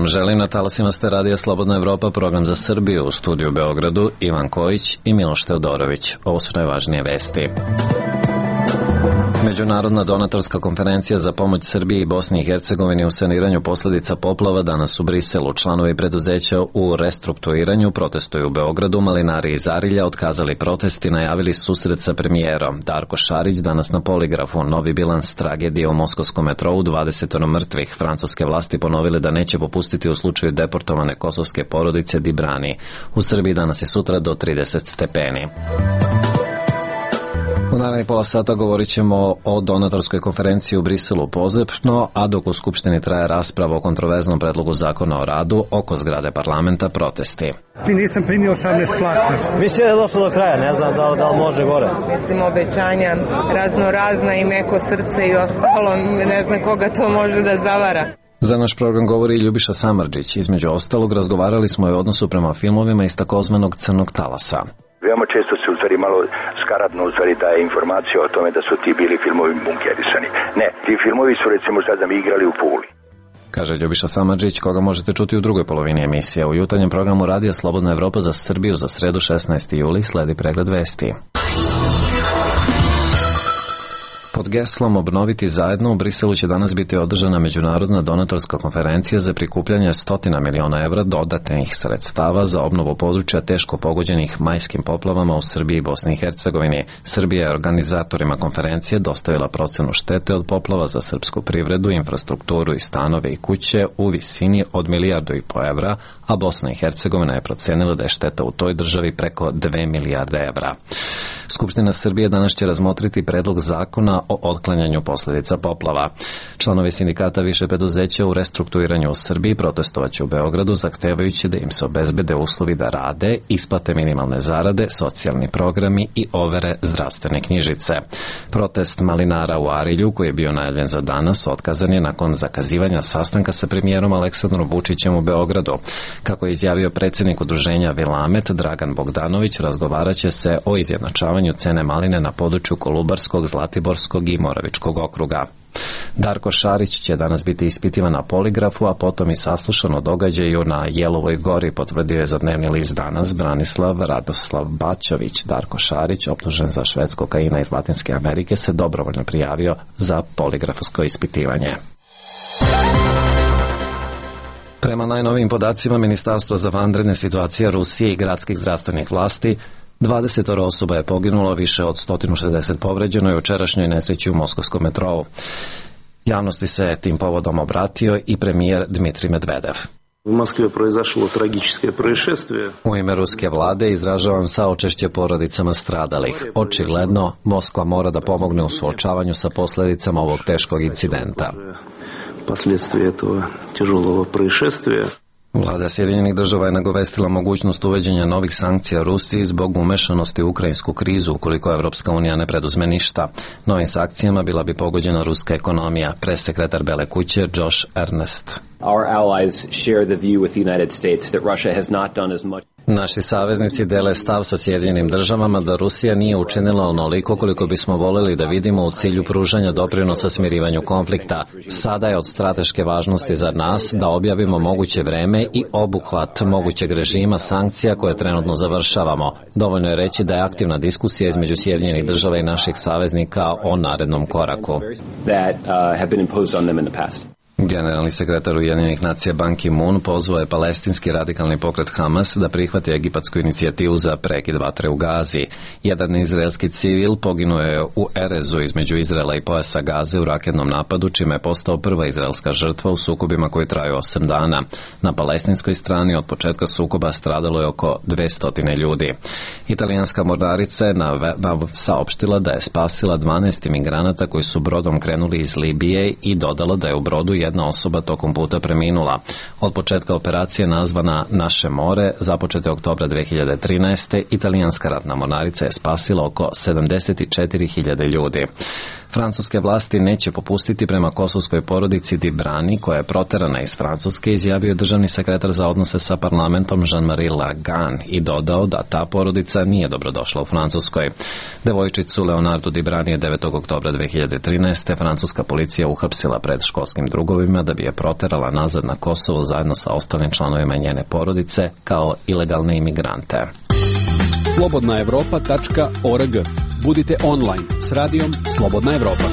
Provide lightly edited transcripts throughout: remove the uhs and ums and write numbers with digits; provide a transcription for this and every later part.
Vam želim, na talasima ste Radija Slobodna Evropa, program za Srbiju, u studiju u Beogradu Ivan Kojić i Miloš Teodorović. Ovo su najvažnije vesti. Međunarodna donatorska konferencija za pomoć Srbiji i Bosni i Hercegovini u saniranju posledica poplava danas u Briselu. Članovi preduzeća u restrukturiranju protestuju u Beogradu. Malinari iz Arilja otkazali protest i najavili susret sa premijerom. Darko Šarić danas na poligrafu. Novi bilans tragedije u moskovskom metrou, 20 mrtvih. Francuske vlasti ponovile da neće popustiti u slučaju deportovane kosovske porodice Dibrani. U Srbiji danas i sutra do 30 stepeni. U narednih pola sata govorit ćemo o donatorskoj konferenciji u Briselu pozepno, a dok u Skupštini traje rasprava o kontroverznom predlogu zakona o radu, oko zgrade parlamenta protesti. Nisam primio 18 plata. Mislim da je došlo do kraja, ne znam da li može gore. Mislim, obećanja razno razna i meko srce i ostalo, ne znam koga to može da zavara. Za naš program govori Ljubiša Samardžić. Između ostalog, razgovarali smo i o odnosu prema filmovima iz takozvanog crnog talasa. Veoma često se u stvari malo skaradno daje informacija o tome da su ti bili filmovi bunkerisani. Ne, ti filmovi su recimo sad da mi igrali u Puli. Kaže Ljubiša Samardžić, koga možete čuti u drugoj polovini emisije. U jutarnjem programu Radija Slobodna Evropa za Srbiju za sredu 16. juli sledi pregled vesti. Pod geslom Obnoviti zajedno u Briselu će danas biti održana međunarodna donatorska konferencija za prikupljanje 100 miliona evra dodatnih sredstava za obnovu područja teško pogođenih majskim poplavama u Srbiji i Bosni i Hercegovini. Srbija je organizatorima konferencije dostavila procenu štete od poplava za srpsku privredu, infrastrukturu i stanove i kuće u visini od 1,5 milijarde evra, a Bosna i Hercegovina je procenila da je šteta u toj državi preko 2 milijarde evra. Skupština Srbije danas će razmotriti predlog zakona o otklanjanju posledica poplava. Članovi sindikata više preduzeća u restrukturiranju u Srbiji protestovaće u Beogradu, zahtevajući da im se obezbede uslovi da rade, isplate minimalne zarade, socijalni programi i overe zdravstvene knjižice. Protest malinara u Arilju, koji je bio najavljen za danas, otkazan je nakon zakazivanja sastanka sa premijerom Aleksandrom Vučićem u Beogradu. Kako je izjavio predsjednik udruženja Vilamet Dragan Bogdanović, razgovaraće se o izjednačavanju cene maline na području Kolubarskog, Zlatiborskog i Moravičkog okruga. Darko Šarić će danas biti ispitivan na poligrafu, a potom i saslušan o događaju na Jelovoj gori, potvrdio je za dnevni list Danas Branislav Radoslav Bačović. Darko Šarić, optužen za švedskog kokaina iz Latinske Amerike, se dobrovoljno prijavio za poligrafsko ispitivanje. Prema najnovijim podacima Ministarstva za vanredne situacije Rusije i gradskih zdravstvenih vlasti, 20 osoba je poginulo, više od 160 povređeno je u jučerašnjoj nesreći u moskovskom metrou. Javnosti se tim povodom obratio i premijer Dmitrij Medvedev. U Moskvi je proizašlo tragičko proisšestvije. U ime ruske vlade izražavam saučešće porodicama stradalih. Očigledno, Moskva mora da pomogne u suočavanju sa posljedicama ovog teškog incidenta. Последствия этого тяжелого происшествия. Vlada Sjedinjenih država je nagovestila mogućnost uvođenja novih sankcija Rusiji zbog umešanosti u ukrajinsku krizu ukoliko Evropska unija ne preduzme ništa. Novim sankcijama bila bi pogođena ruska ekonomija, pressekretar Bele kuće Josh Earnest. Our allies share the view with the United States that Russia has not done as much. Naši saveznici dele stav sa Sjedinjenim državama da Rusija nije učinila onoliko koliko bismo voljeli da vidimo u cilju pružanja doprinosa smirivanju konflikta. Sada je od strateške važnosti za nas da objavimo moguće vreme i obuhvat mogućeg režima sankcija koje trenutno završavamo. Dovoljno je reći da je aktivna diskusija između Sjedinjenih država i naših saveznika o narednom koraku. Generalni sekretar Ujedinjenih nacija Ban Ki-moon pozvao je palestinski radikalni pokret Hamas da prihvati egipatsku inicijativu za prekid vatre u Gazi. Jedan izraelski civil poginuo je u Erezu između Izraela i pojasa Gaze u raketnom napadu, čime je postao prva izraelska žrtva u sukobima koji traju 8 dana. Na palestinskoj strani od početka sukoba stradalo je oko 200 ljudi. Italijanska mornarica je saopštila da je spasila 12 imigranata koji su brodom krenuli iz Libije i dodala da je u brodu jedna osoba tokom puta preminula. Od početka operacije nazvana Naše more, započete oktobra 2013. italijanska ratna mornarica je spasila oko 74.000 ljudi. Francuske vlasti neće popustiti prema kosovskoj porodici Dibrani, koja je proterana iz Francuske, izjavio državni sekretar za odnose sa parlamentom Jean-Marie Lagan i dodao da ta porodica nije dobrodošla u Francuskoj. Devojčicu Leonardu Dibrani je 9. oktobra 2013. francuska policija uhapsila pred školskim drugovima da bi je proterala nazad na Kosovo zajedno sa ostalim članovima njene porodice kao ilegalne imigrante. slobodnaevropa.org. Budite online s radijom Slobodna Evropa.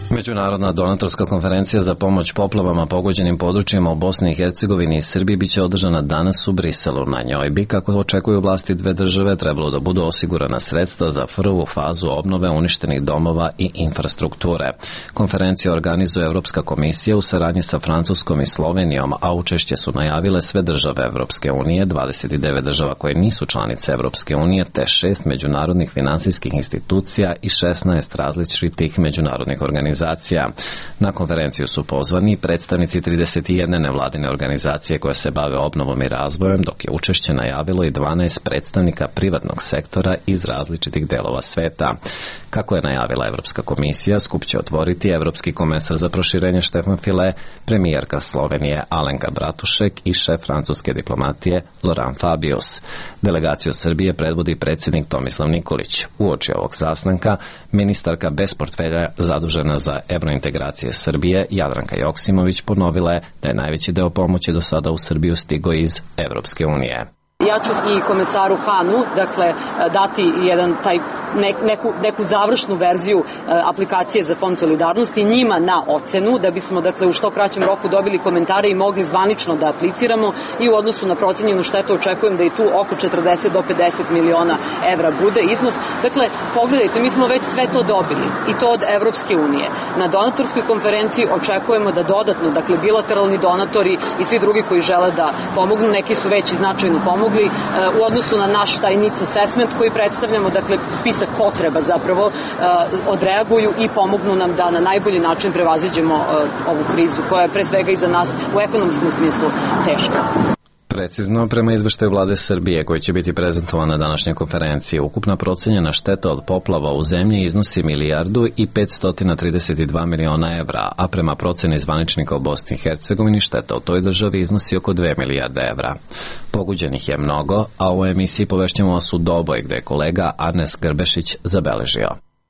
Međunarodna donatorska konferencija za pomoć poplavama pogođenim područjima u Bosni i Hercegovini i Srbiji biće održana danas u Briselu. Na njoj bi, kako očekuju vlasti dve države, trebalo da budu osigurana sredstva za prvu fazu obnove uništenih domova i infrastrukture. Konferenciju organizuje Evropska komisija u saradnji sa Francuskom i Slovenijom, a učešće su najavile sve države Evropske unije, 29 država koje nisu članice Evropske unije, te 6 međunarodnih finansijskih institucija i 16 različitih međunarodnih organizacija. Na konferenciju su pozvani predstavnici 31 nevladine organizacije koje se bave obnovom i razvojem, dok je učešće najavilo i 12 predstavnika privatnog sektora iz različitih delova sveta. Kako je najavila Evropska komisija, skup će otvoriti Evropski komesar za proširenje Štefan File, premijerka Slovenije Alenka Bratušek i šef francuske diplomatije Laurent Fabius. Delegaciju Srbije predvodi predsjednik Tomislav Nikolić. Uoči ovog sastanka ministarka bez portfelja zadužena za evrointegracije Srbije Jadranka Joksimović ponovila je da je najveći deo pomoći do sada u Srbiju stigao iz Evropske unije. Ja ću i komesaru Hanu, dakle, dati neku završnu verziju aplikacije za Fond solidarnosti njima na ocenu, da bismo, dakle, u što kraćem roku dobili komentare i mogli zvanično da apliciramo, i u odnosu na procenjenu štetu očekujem da i tu oko 40 do 50 miliona evra bude iznos. Dakle, pogledajte, mi smo već sve to dobili i to od Evropske unije. Na donatorskoj konferenciji očekujemo da dodatno, dakle, bilateralni donatori i svi drugi koji žele da pomognu, neki su već i značajno pomogli u odnosu na naš taj needs assessment koji predstavljamo, dakle, spisak potreba zapravo, odreaguju i pomognu nam da na najbolji način prevaziđemo ovu krizu koja je pre svega i za nas u ekonomskom smislu teška. Precizno, prema izveštaju vlade Srbije koji će biti prezentovan na današnjoj konferenciji, ukupna procenjena šteta od poplava u zemlji iznosi 1.532 miliona evra, a prema proceni zvaničnika u Bosni i Hercegovini šteta u toj državi iznosi oko 2 milijarde evra. Poguđenih je mnogo, a u emisiji povešćemo vas u Doboj, gde je kolega Arnes Grbešić zabeležio.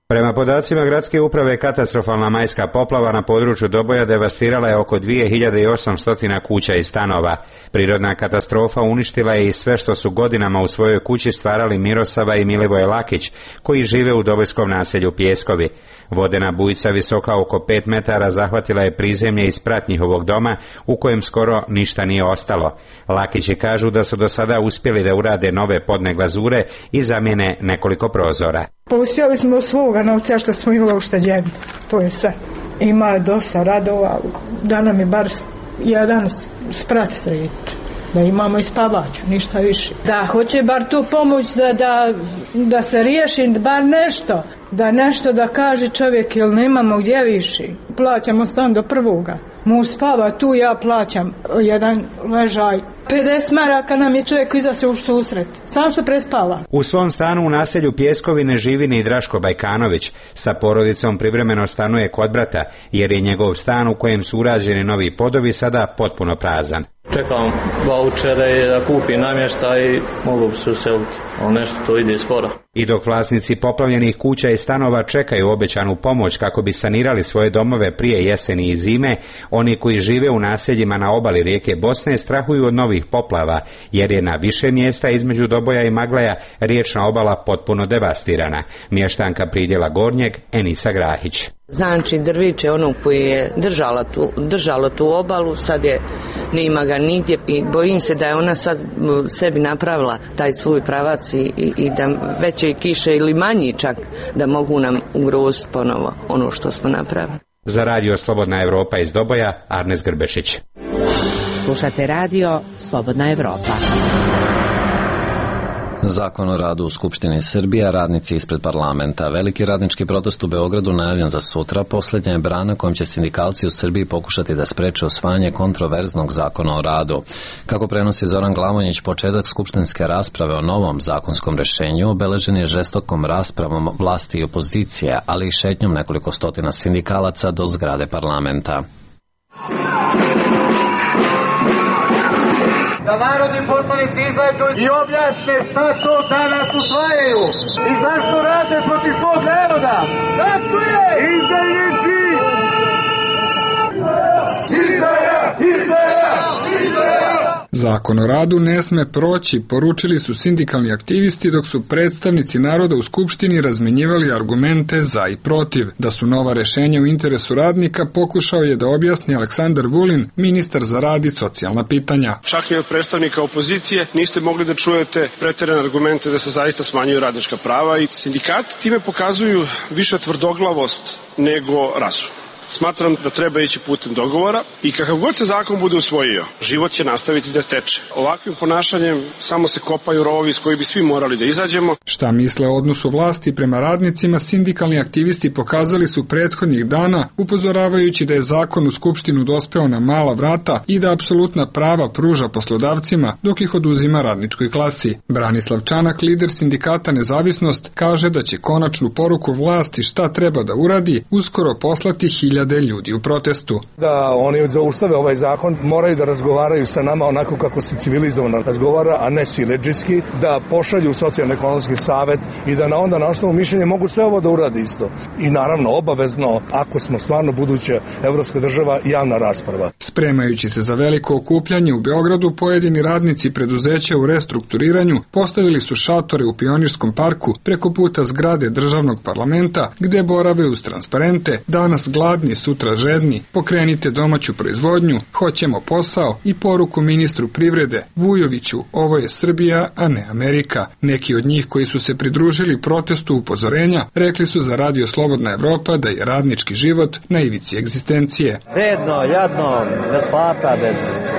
Prema podacima gradske uprave, katastrofalna majska poplava na području Doboja devastirala je oko 2800 kuća i stanova. Prirodna katastrofa uništila je i sve što su godinama u svojoj kući stvarali Mirosava i Milivoje Lakić, koji žive u dobojskom naselju Pjeskovi. Vodena bujica visoka oko 5 metara zahvatila je prizemlje i sprat njihovog doma, u kojem skoro ništa nije ostalo. Lakići kažu da su do sada uspjeli da urade nove podne glazure i zamijene nekoliko prozora. Pa uspjeli smo svoga novca što smo imali ušteđeni, to je sve. Ima je dosta radova, da nam je bar jedan sprat srediti, da imamo i spavaču, ništa više. Da, hoće bar tu pomoć da se riješi bar nešto, da kaže čovjek, jer nemamo gdje više. Plaćamo stan do prvoga. Muž spava tu, ja plaćam jedan ležaj. 50 maraka nam je čovjek izašao u susret, samo što prespava. U svom stanu u naselju Pjeskovi ne živi ni Draško Bajkanović. Sa porodicom privremeno stanuje kod brata, jer je njegov stan u kojem su urađeni novi podovi sada potpuno prazan. Čekam vaučere da kupim namještaj i mogu se useliti, ali nešto to ide sporo. I dok vlasnici poplavljenih kuća i stanova čekaju obećanu pomoć kako bi sanirali svoje domove prije jeseni i zime, oni koji žive u naseljima na obali rijeke Bosne strahuju od novih poplava, jer je na više mjesta između Doboja i Magleja riječna obala potpuno devastirana. Mještanka Pridjela Gornjeg, Enisa Grahić. Znači drviće ono koji je držalo tu obalu, sad je nema ga nigdje i bojim se da je ona sad sebi napravila taj svoj pravac i da veće kiše ili manji čak da mogu nam ugroziti ponovo ono što smo napravili. Za radio Slobodna Evropa iz Doboja, Arnes Grbešić. Slušate radio Slobodna Evropa. Zakon o radu u Skupštini Srbije, radnici ispred parlamenta. Veliki radnički protest u Beogradu najavljen za sutra, posljednja je brana kojom će sindikalci u Srbiji pokušati da spreče usvajanje kontroverznog zakona o radu. Kako prenosi Zoran Glavonjić, početak skupštinske rasprave o novom zakonskom rešenju obeležen je žestokom raspravom vlasti i opozicije, ali i šetnjom nekoliko stotina sindikalaca do zgrade parlamenta. Da narodni poslanici izađu i objasne šta to danas usvajaju i zašto rade protiv svog naroda. Tako je! Izdajnici! Izdaja! Izdaja! Izdaja! Zakon o radu ne sme proći, poručili su sindikalni aktivisti dok su predstavnici naroda u Skupštini razmenjivali argumente za i protiv. Da su nova rešenja u interesu radnika pokušao je da objasni Aleksandar Vulin, ministar za rad i socijalna pitanja. Čak i od predstavnika opozicije niste mogli da čujete preterane argumente da se zaista smanjuju radnička prava i sindikati time pokazuju više tvrdoglavost nego razum. Smatram da treba ići putem dogovora i kakav god se zakon bude usvojio, život će nastaviti da teče. Ovakvim ponašanjem samo se kopaju rovovi iz koji bi svi morali da izađemo. Šta misle o odnosu vlasti prema radnicima, sindikalni aktivisti pokazali su prethodnih dana, upozoravajući da je zakon u Skupštinu dospeo na mala vrata i da apsolutna prava pruža poslodavcima, dok ih oduzima radničkoj klasi. Branislav Čanak, lider sindikata Nezavisnost, kaže da će konačnu poruku vlasti šta treba da uradi uskoro poslati ljudi u protestu. Da oni zaustave ovaj zakon, moraju da razgovaraju sa nama onako kako se civilizovano razgovara, a ne siledžijski, da pošalju socijalno-ekonomski savet i da onda na osnovu mišljenja mogu sve ovo da urade isto. I naravno, obavezno, ako smo stvarno buduća evropska država, javna rasprava. Spremajući se za veliko okupljanje u Beogradu, pojedini radnici preduzeća u restrukturiranju postavili su šatore u Pionirskom parku preko puta zgrade državnog parlamenta, gde borave uz transparente, danas gladni, sutra žedni, pokrenite domaću proizvodnju, hoćemo posao i poruku ministru privrede Vujoviću, ovo je Srbija, a ne Amerika. Neki od njih koji su se pridružili protestu upozorenja rekli su za Radio Slobodna Evropa da je radnički život na ivici egzistencije. Bedno, jadno, bez plata, bez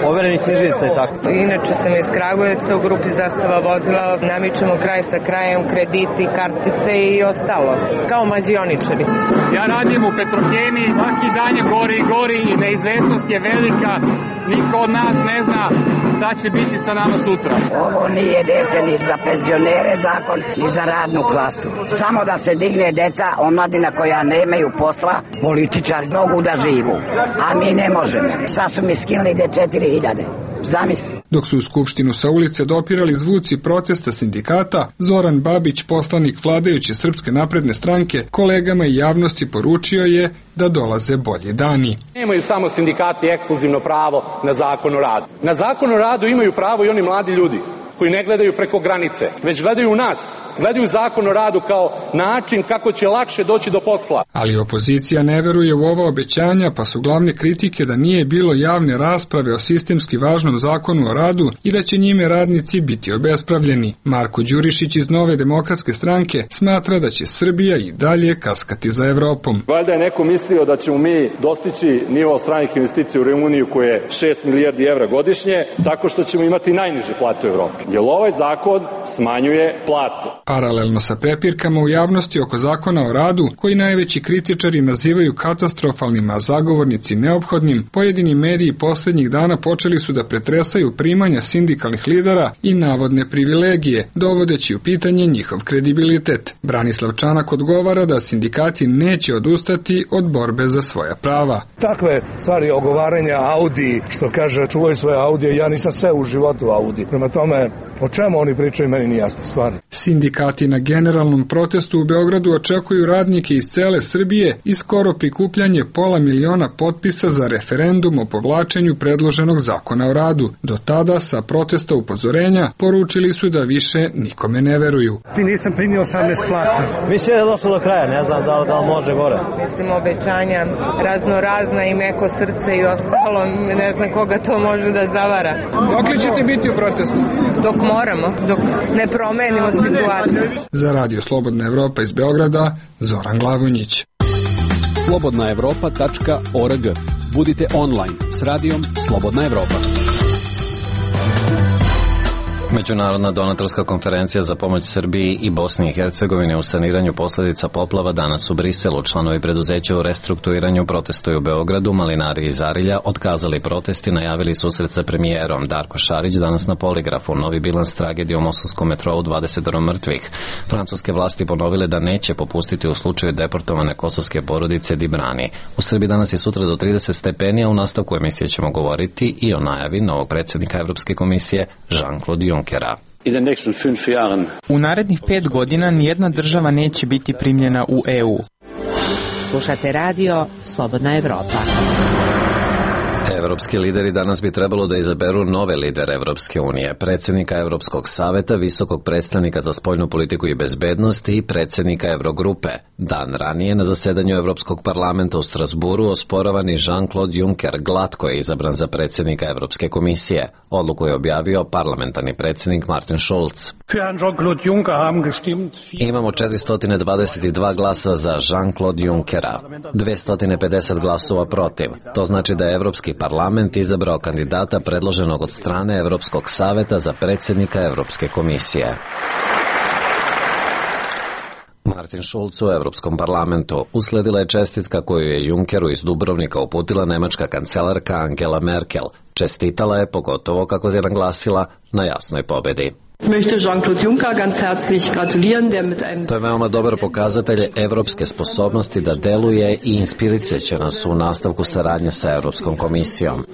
overenih knjižica i tako. Inače sam iz Kragujevca, u grupi Zastava vozila, namičemo kraj sa krajem, krediti, kartice i ostalo, kao mađioničari. Ja radim u Petrohemiji, svaki dan je gori i gori i neizvesnost je velika. Niko od nas ne zna šta će biti sa nama sutra. Ovo nije dete ni za penzionere zakon, ni za radnu klasu. Samo da se digne deca, omladina koja nemaju posla, političari mogu da živu, a mi ne možemo. Sad su mi skinuli 4.000. Zamisli. Dok su u Skupštinu sa ulice dopirali zvuci protesta sindikata, Zoran Babić, poslanik vladajuće Srpske napredne stranke, kolegama i javnosti poručio je da dolaze bolji dani. Nemaju samo sindikati ekskluzivno pravo na zakon o radu. Na zakon o radu imaju pravo i oni mladi ljudi koji ne gledaju preko granice, već gledaju u nas, gledaju zakon o radu kao način kako će lakše doći do posla. Ali opozicija ne veruje u ova obećanja, pa su glavne kritike da nije bilo javne rasprave o sistemski važnom zakonu o radu i da će njime radnici biti obespravljeni. Marko Đurišić iz Nove demokratske stranke smatra da će Srbija i dalje kaskati za Evropom. Valjda je neko mislio da ćemo mi dostići nivo stranih investicija u Rumuniju koje je 6 milijardi evra godišnje, tako što ćemo imati najniže plate u Evropi. Jer ovaj zakon smanjuje plate. Paralelno sa prepirkama u javnosti oko zakona o radu, koji najveći kritičari nazivaju katastrofalnim, a zagovornici neophodnim, pojedini mediji poslednjih dana počeli su da pretresaju primanja sindikalnih lidera i navodne privilegije, dovodeći u pitanje njihov kredibilitet. Branislav Čanak odgovara da sindikati neće odustati od borbe za svoja prava. Takve stvari ogovaranja Audi, što kaže čuvaju svoje Audije, ja nisam sve u životu Audi. Prema tome, o čemu oni pričaju, meni nije jasno stvarno. Sindikati na generalnom protestu u Beogradu očekuju radnike iz cele Srbije i skoro prikupljanje 500.000 potpisa za referendum o povlačenju predloženog zakona o radu. Do tada sa protesta upozorenja poručili su da više nikome ne veruju. Ti nisam primio 18 plata. Mislim da je došlo do kraja, ne znam da li može gore. Mislim, obećanja razna i meko srce i ostalo, ne znam koga to može da zavara. Dok li ćete biti u protestu? Dok moramo, dok ne promenimo situaciju. Za Radio Slobodna Evropa iz Beograda, Zoran Glavonjić. slobodnaevropa.org. Budite online s radijom Slobodna Evropa. Međunarodna donatorska konferencija za pomoć Srbiji i Bosni i Hercegovini u saniranju posledica poplava danas u Briselu. Članovi preduzeća u restrukturiranju protestuju u Beogradu, malinari iz Arilja otkazali protest i najavili susret sa premijerom. Darko Šarić danas na poligrafu. Novi bilans tragedije u moskovskom metrou, 20 mrtvih. Francuske vlasti ponovile da neće popustiti u slučaju deportovane kosovske porodice Dibrani. U Srbiji danas i sutra do 30 stepeni, a u nastavku emisije ćemo govoriti i o najavi novog predsjednika Evropske komisije Jean-Claude Junckera. U narednih 5 godina nijedna država neće biti primljena u EU. Slušate radio Slobodna Evropa. Evropski lideri danas bi trebalo da izaberu nove lidere Evropske unije, predsjednika Evropskog saveta, visokog predstavnika za spoljnu politiku i bezbednost i predsjednika Evrogrupe. Dan ranije na zasedanju Evropskog parlamenta u Strasburu osporavani Jean-Claude Juncker glatko je izabran za predsjednika Evropske komisije. Odluku je objavio parlamentarni predsjednik Martin Schulz. Imamo 422 glasa za Jean-Claude Junckera, 250 glasova protiv. To znači da je Evropski parlament izabrao kandidata predloženog od strane Evropskog saveta za predsjednika Evropske komisije. Martin Schulz u Evropskom parlamentu. Usledila je čestitka koju je Junckeru iz Dubrovnika uputila nemačka kancelarka Angela Merkel. Čestitala je, pogotovo kako je naglasila, na jasnoj pobedi. To je veoma dobar pokazatelj evropske sposobnosti da deluje i inspirirat će nas u nastavku saradnje sa Evropskom komisijom.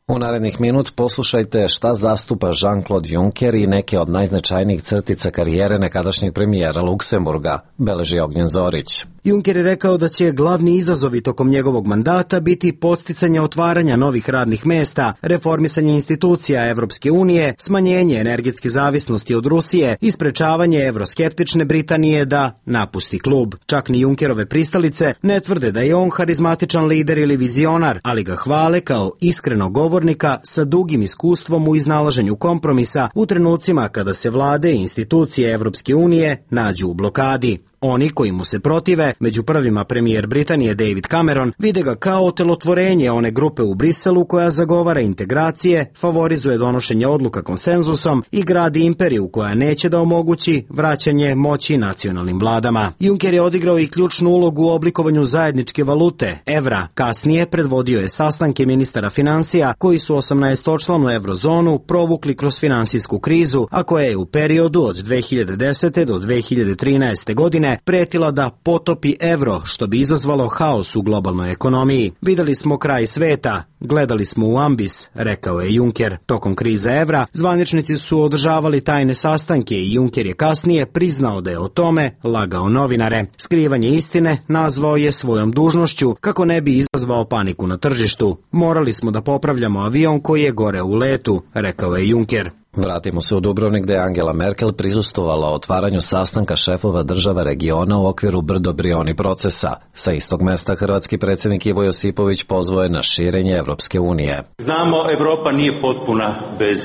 U narednih minut poslušajte šta zastupa Jean-Claude Juncker i neke od najznačajnijih crtica karijere nekadašnjeg premijera Luksemburga, beleži Ognjen Zorić. Juncker je rekao da će glavni izazovi tokom njegovog mandata biti podsticanje otvaranja novih radnih mesta, reformisanje institucija Evropske unije, smanjenje energetske zavisnosti od Rusije i sprečavanje evroskeptične Britanije da napusti klub. Čak ni Junckerove pristalice ne tvrde da je on harizmatičan lider ili vizionar, ali ga hvale kao iskrenog govornika sa dugim iskustvom u iznalaženju kompromisa u trenucima kada se vlade i institucije Evropske unije nađu u blokadi. Oni koji mu se protive, među prvima premijer Britanije David Cameron, vide ga kao otelotvorenje one grupe u Briselu koja zagovara integracije, favorizuje donošenje odluka konsenzusom i gradi imperiju koja neće da omogući vraćanje moći nacionalnim vladama. Juncker je odigrao i ključnu ulogu u oblikovanju zajedničke valute, evra. Kasnije predvodio je sastanke ministara finansija koji su 18-članu eurozonu provukli kroz finansijsku krizu, a koja je u periodu od 2010. do 2013. godine pretila da potopi evro, što bi izazvalo haos u globalnoj ekonomiji. Videli smo kraj sveta, gledali smo u ambis, rekao je Juncker. Tokom krize evra, zvaničnici su održavali tajne sastanke i Juncker je kasnije priznao da je o tome lagao novinare. Skrivanje istine nazvao je svojom dužnošću kako ne bi izazvao paniku na tržištu. Morali smo da popravljamo avion koji je gore u letu, rekao je Juncker. Vratimo se u Dubrovnik gde je Angela Merkel prisustvovala otvaranju sastanka šefova država regiona u okviru Brdo-Brioni procesa. Sa istog mesta hrvatski predsjednik Ivo Josipović pozvao je na širenje Evropske unije. Znamo, Evropa nije potpuna bez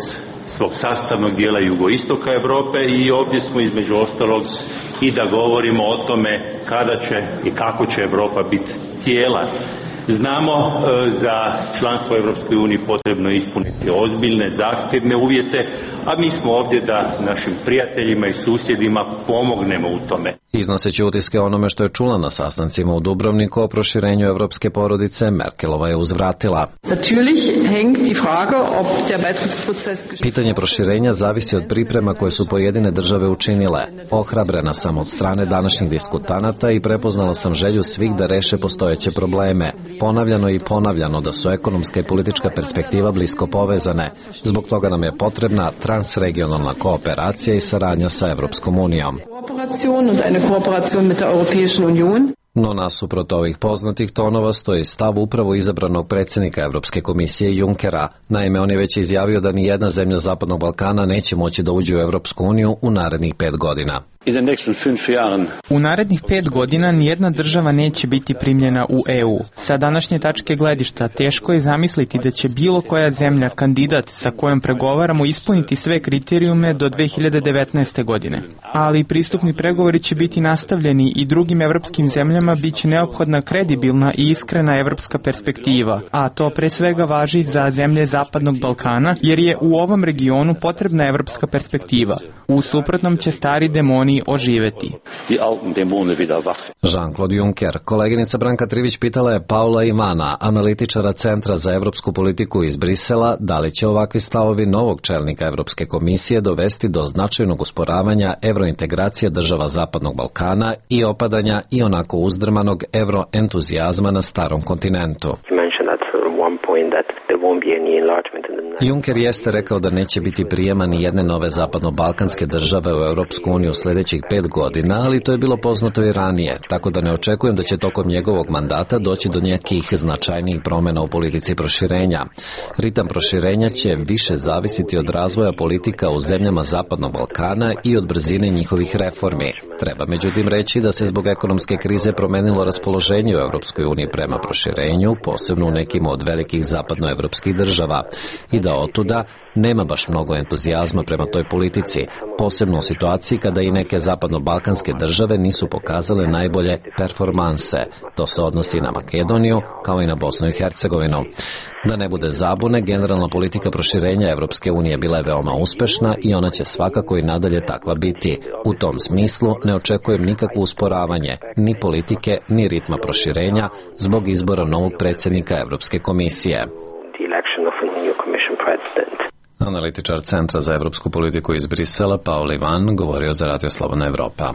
svog sastavnog dijela jugoistoka Evrope i ovdje smo između ostalog i da govorimo o tome kada će i kako će Evropa biti cijela. Znamo za članstvo u Evropskoj uniji potrebno ispuniti ozbiljne, zahtjevne uvjete, a mi smo ovdje da našim prijateljima i susjedima pomognemo u tome. Iznoseći utiske onome što je čula na sastancima u Dubrovniku o proširenju evropske porodice, Merkelova je uzvratila. Pitanje proširenja zavisi od priprema koje su pojedine države učinile. Ohrabrena sam od strane današnjih diskutanata i prepoznala sam želju svih da reše postojeće probleme. Ponavljano i ponavljano da su ekonomska i politička perspektiva blisko povezane. Zbog toga nam je potrebna transregionalna kooperacija i saradnja sa Evropskom unijom. No nasuprot ovih poznatih tonova stoji stav upravo izabranog predsjednika Evropske komisije Junckera. Naime, on je već izjavio da ni jedna zemlja Zapadnog Balkana neće moći da uđe u Evropsku uniju u narednih 5 godina. U narednih 5 godina nijedna država neće biti primljena u EU. Sa današnje tačke gledišta teško je zamisliti da će bilo koja zemlja, kandidat sa kojom pregovaramo, ispuniti sve kriterijume do 2019. godine. Ali pristupni pregovori će biti nastavljeni i drugim evropskim zemljama bit će neophodna kredibilna i iskrena evropska perspektiva, a to pre svega važi za zemlje Zapadnog Balkana, jer je u ovom regionu potrebna evropska perspektiva. U suprotnom će stari demoni oživeti. Jean-Claude Juncker. Koleginica Branka Trivić pitala je Paula Ivana, analitičara Centra za evropsku politiku iz Brisela, da li će ovakvi stavovi novog čelnika Evropske komisije dovesti do značajnog usporavanja evrointegracije država Zapadnog Balkana i opadanja i onako uzdrmanog evroentuzijazma na starom kontinentu. Juncker jeste rekao da neće biti prijema ni jedne nove zapadno-balkanske države u Europsku uniju sljedećih 5 godina, ali to je bilo poznato i ranije, tako da ne očekujem da će tokom njegovog mandata doći do nekih značajnijih promjena u politici proširenja. Ritam proširenja će više zavisiti od razvoja politika u zemljama Zapadnog Balkana i od brzine njihovih reformi. Treba međutim reći da se zbog ekonomske krize promenilo raspoloženje u Europskoj uniji prema proširenju, posebno u nekim od velikih zapadnoevropskih država, i da otuda nema baš mnogo entuzijazma prema toj politici, posebno u situaciji kada i neke zapadno-balkanske države nisu pokazale najbolje performanse. To se odnosi na Makedoniju kao i na Bosnu i Hercegovinu. Da ne bude zabune, generalna politika proširenja Evropske unije bila je veoma uspešna i ona će svakako i nadalje takva biti. U tom smislu ne očekujem nikakvo usporavanje, ni politike, ni ritma proširenja zbog izbora novog predsjednika Evropske komisije. Analitičar Centra za evropsku politiku iz Brisela, Paul Ivan, govorio za Radio Slobodna Evropa.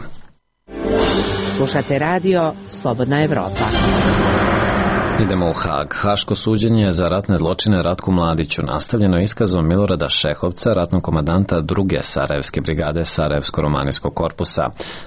Slušate radio Slobodna Evropa. Idemo u Hag. Haško suđenje za ratne zločine Ratku Mladiću nastavljeno iskazom Milorada Šehovca, ratnog komandanta 2. Sarajevske brigade Sarajevsko-romanijskog korpusa.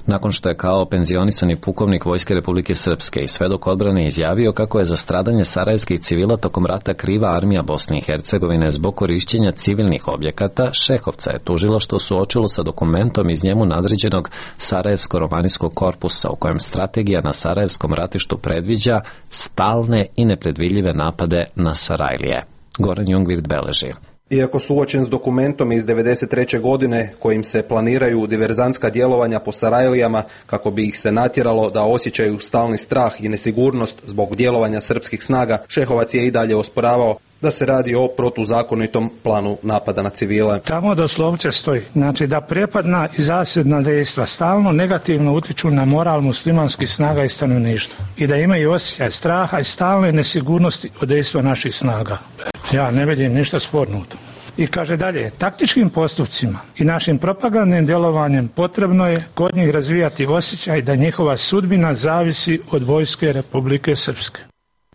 Nakon što je kao penzionisani pukovnik Vojske Republike Srpske i svedok odbrane izjavio kako je za stradanje sarajevskih civila tokom rata kriva armija Bosne i Hercegovine zbog korišćenja civilnih objekata, Šehovca je tužilaštvo suočilo sa dokumentom iz njemu nadređenog Sarajevsko-romanijskog korpusa u kojem strategija na Sarajevskom ratištu predviđa stalne i nepredvidljive napade na Sarajlije. Goran Jungwirth beleži. Iako suočen s dokumentom iz 1993. godine kojim se planiraju diverzantska djelovanja po Sarajlijama kako bi ih se natjeralo da osjećaju stalni strah i nesigurnost zbog djelovanja srpskih snaga, Šehovac je i dalje osporavao da se radi o protuzakonitom planu napada na civile. Tamo doslovce stoji, znači da prepadna i zasjedna dejstva stalno negativno utiču na moral muslimanskih snaga i stanovništva i da imaju osjećaj straha i stalne nesigurnosti od dejstva naših snaga. Ja ne vidim ništa sporno u tom. I kaže dalje, taktičkim postupcima i našim propagandnim djelovanjem potrebno je kod njih razvijati osjećaj da njihova sudbina zavisi od Vojske Republike Srpske.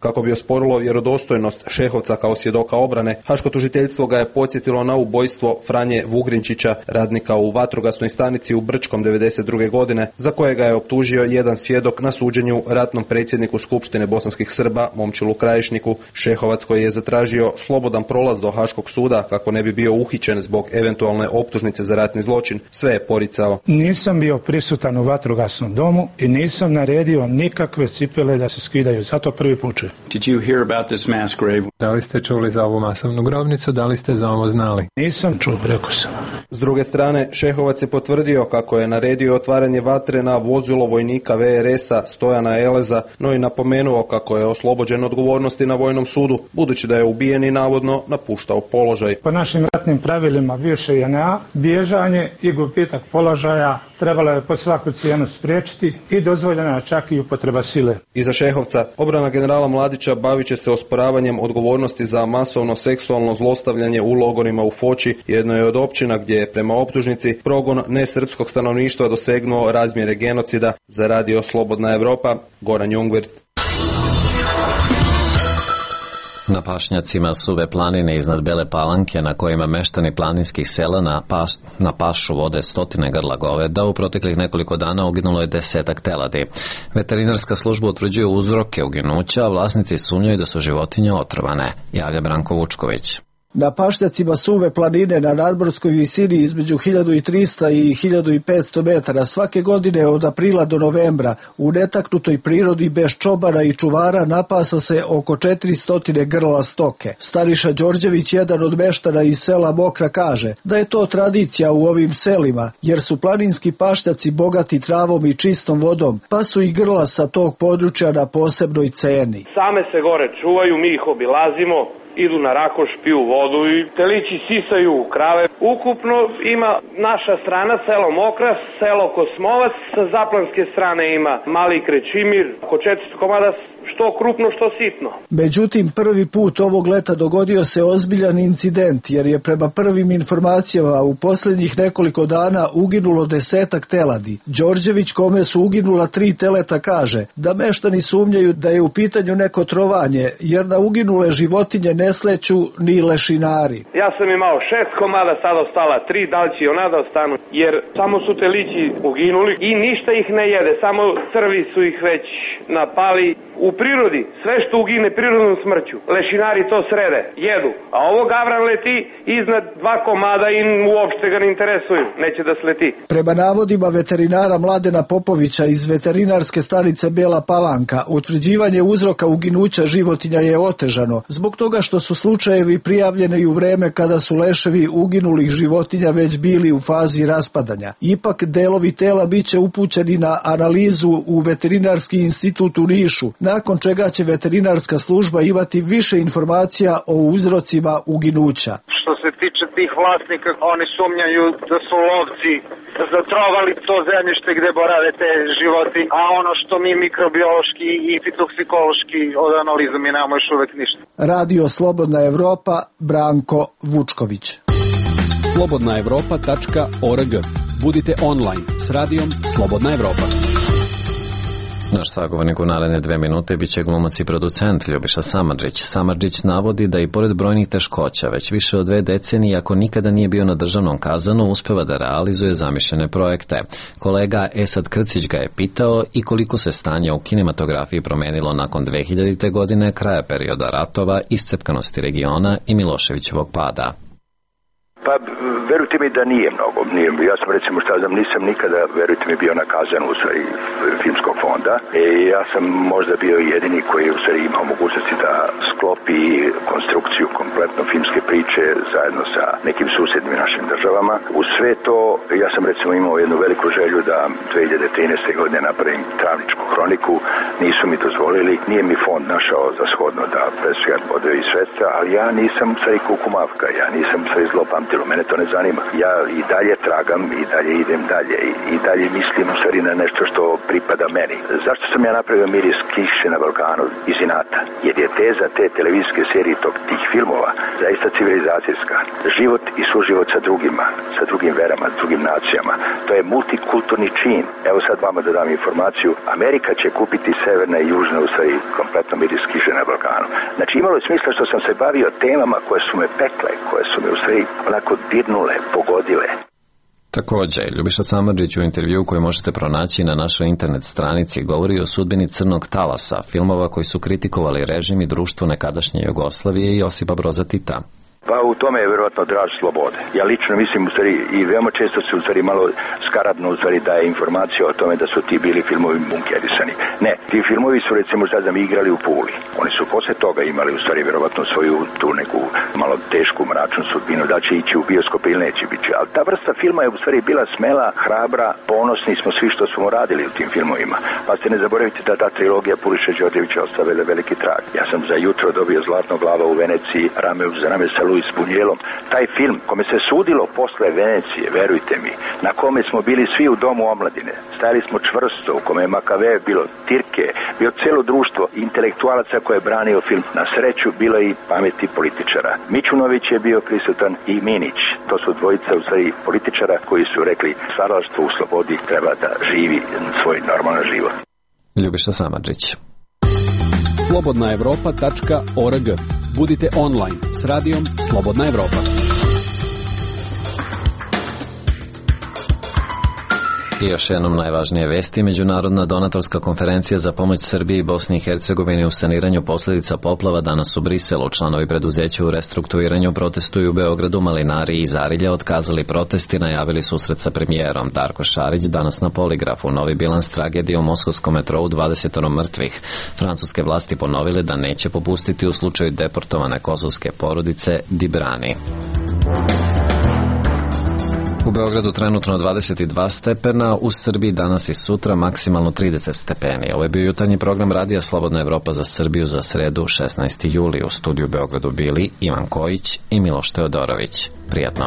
Kako bi osporilo vjerodostojnost Šehovca kao svjedoka obrane, Haško tužiteljstvo ga je podsjetilo na ubojstvo Franje Vugrinčića, radnika u vatrogasnoj stanici u Brčkom 1992. godine, za kojega je optužio jedan svjedok na suđenju ratnom predsjedniku Skupštine bosanskih Srba, Momčilu Krajišniku. Šehovac, koji je zatražio slobodan prolaz do Haškog suda kako ne bi bio uhićen zbog eventualne optužnice za ratni zločin, sve je poricao. Nisam bio prisutan u vatrogasnom domu i nisam naredio nikakve cipele da se skidaju, zato prvi put čujem. Did you hear about this mass grave? Da li ste čuli za ovu masovnu grobnicu, da li ste za ovo znali? Nisam čuo, rekao sam. S druge strane, Šehovac je potvrdio kako je naredio otvaranje vatre na vozilo vojnika VRS-a Stojana Eleza, no i napomenuo kako je oslobođen odgovornosti na vojnom sudu, budući da je ubijen i navodno napuštao položaj. Po našim ratnim pravilima bivše JNA, bježanje i gubitak položaja trebalo je po svaku cijenu spriječiti i dozvoljena čak i upotreba sile. Iza Šehovca, obrana generala Mladića bavit će se osporavanjem odgovornosti za masovno seksualno zlostavljanje u logorima u Foči, jednoj od općina gdje je prema optužnici progon nesrpskog stanovništva dosegnuo razmjere genocida. Za Radio Slobodna Evropa, Goran Jungwirth. Na pašnjacima Suve planine iznad Bele Palanke, na kojima meštani planinskih sela na pašu vode stotine grla goveda, u proteklih nekoliko dana uginulo je 10 teladi. Veterinarska služba utvrđuje uzroke uginuća, a vlasnici sumnjaju da su životinje otrovane, javlja Branko Vučković. Na pašnjacima Suve planine na nadmorskoj visini između 1300 i 1500 metara svake godine od aprila do novembra u netaknutoj prirodi bez čobana i čuvara napasa se oko 400 grla stoke. Staniša Đorđević, jedan od meštana iz sela Mokra, kaže da je to tradicija u ovim selima, jer su planinski pašnjaci bogati travom i čistom vodom, pa su i grla sa tog područja na posebnoj ceni. Same se gore čuvaju, mi ih obilazimo, idu na rakoš, piju vodu i telići sisaju krave. Ukupno ima naša strana, selo Mokra, selo Kosmovac, sa zaplanske strane ima Mali Krećimir, oko 400 komada, što krupno, što sitno. Međutim, prvi put ovog leta dogodio se ozbiljan incident, jer je prema prvim informacijama u posljednjih nekoliko dana uginulo 10 teladi. Đorđević, kome su uginula 3 teleta, kaže da meštani sumnjaju da je u pitanju neko trovanje, jer na uginule životinje ne sleću ni lešinari. Ja sam imao 6 komada, sad ostala 3, da li će ona da ostanu, jer samo su telići uginuli i ništa ih ne jede, samo crvi su ih već napali. U prirodi, sve što ugine prirodnom smrću, lešinari to srede, jedu, a ovo gavran leti iznad 2 komada i uopšte ga ne interesuju, neće da sleti. Prema navodima veterinara Mladena Popovića iz veterinarske stanice Bela Palanka, utvrđivanje uzroka uginuća životinja je otežano, zbog toga što su slučajevi prijavljeni u vreme kada su leševi uginulih životinja već bili u fazi raspadanja. Ipak delovi tela biće upućeni na analizu u Veterinarski institut u Nišu, nakon čega će veterinarska služba imati više informacija o uzrocima uginuća. Što se tiče tih vlasnika, oni sumnjaju da su lovci zatrovali to zemljište gde borave te životinje, a ono što mi mikrobiološki i fitoksikološki od analiza mi nemamo još uvek ništa. Radio Slobodna Evropa, Branko Vučković. slobodnaevropa.org. Budite online s radijom Slobodna Evropa. Naš sagovornik u naredne 2 minute biće glumac i producent Ljubiša Samardžić. Samardžić navodi da i pored brojnih teškoća već više od 2 decenije, ako nikada nije bio na državnom kazanu, uspeva da realizuje zamišljene projekte. Kolega Esad Krcić ga je pitao i koliko se stanje u kinematografiji promenilo nakon 2000. godine, kraja perioda ratova, iscepkanosti regiona i Miloševićevog pada. Pa, verujte mi da nije mnogo. Ja sam recimo, nisam nikada, verujte mi, bio na kazanu u stvari filmskog fonda. Ja sam možda bio jedini koji u stvari imao mogućnosti da sklopi konstrukciju kompletno filmske priče zajedno sa nekim susjednim našim državama. U sve to, ja sam recimo imao jednu veliku želju da 2013. godine napravim Travničku hroniku. Nisu mi dozvolili. Nije mi fond našao za shodno da presvijat odevi sredstva, ali ja nisam u stvari kukumavka. Ja nisam u stvari zlopamtilo. Mene to ne zanima. Ja i dalje tragam, i dalje idem dalje, i dalje mislim u stvari na nešto što pripada meni. Zašto sam ja napravio Miris kiše na Balkanu iz inata? Jer je teza te televizijske serije tih filmova zaista civilizacijska. Život i suživot sa drugima, sa drugim verama, s drugim nacijama. To je multikulturni čin. Evo sad vama da dam informaciju. Amerika će kupiti severna i južna u stvari kompletno Miris kiše na Balkanu. Znači imalo je smisla što sam se bavio temama koje su me pekle, koje su me u stvari onako dirnule, pogodile. Također, Ljubiša Samardžić u intervju koji možete pronaći na našoj internet stranici govori o sudbini Crnog talasa, filmova koji su kritikovali režim i društvo nekadašnje Jugoslavije i Josipa Broza Tita. Pa u tome je vjerojatno draž slobode. Ja lično mislim u stvari i veoma često se u stvari malo skaradno u stvari daje informacija o tome da su ti bili filmovi bunkerisani. Ne, ti filmovi su recimo sad da mi igrali u Puli. Oni su posle toga imali u stvari vjerojatno svoju tu neku malo tešku mračnu sudbinu, da će ići u bioskop ili neće biti. Ali ta vrsta filma je u stvari bila smela, hrabra, ponosni smo svi što smo radili u tim filmovima. Pa ste ne zaboravite da ta trilogija Puliša Đorđevića ostavila veliki trag. Ja sam za jutro dobio Zlatno glava u Veneciji, rame uz rame sa Luis Bunjelom. Taj film kome se sudilo posle Venecije, verujte mi, na kome smo bili svi u domu omladine, stajali smo čvrsto, u kome je Makave bilo Tirke, bio celo društvo intelektualaca koje je branio film. Na sreću bilo i pameti političara. Mićunović je bio prisutan i Minić. To su dvojica u stvari političara koji su rekli stvaralaštvo u slobodi treba da živi svoj normalan život. Ljubiša Samardžić. slobodnaevropa.org. Budite online s radijom Slobodna Evropa. I još jednom najvažnije vesti. Međunarodna donatorska konferencija za pomoć Srbiji i Bosni i Hercegovini u saniranju posljedica poplava danas u Briselu. Članovi preduzeća u restrukturiranju protestuju u Beogradu, Malinari i Zarilja otkazali protest i najavili susret sa premijerom. Darko Šarić danas na poligrafu. Novi bilans tragedije u moskovskom metrou, 20 mrtvih. Francuske vlasti ponovile da neće popustiti u slučaju deportovane kosovske porodice Dibrani. U Beogradu trenutno 22 stepena, u Srbiji danas i sutra maksimalno 30 stepeni. Ovo je bio jutarnji program Radija Slobodna Evropa za Srbiju za sredu 16. juli. U studiju u Beogradu bili Ivan Kojić i Miloš Teodorović. Prijatno.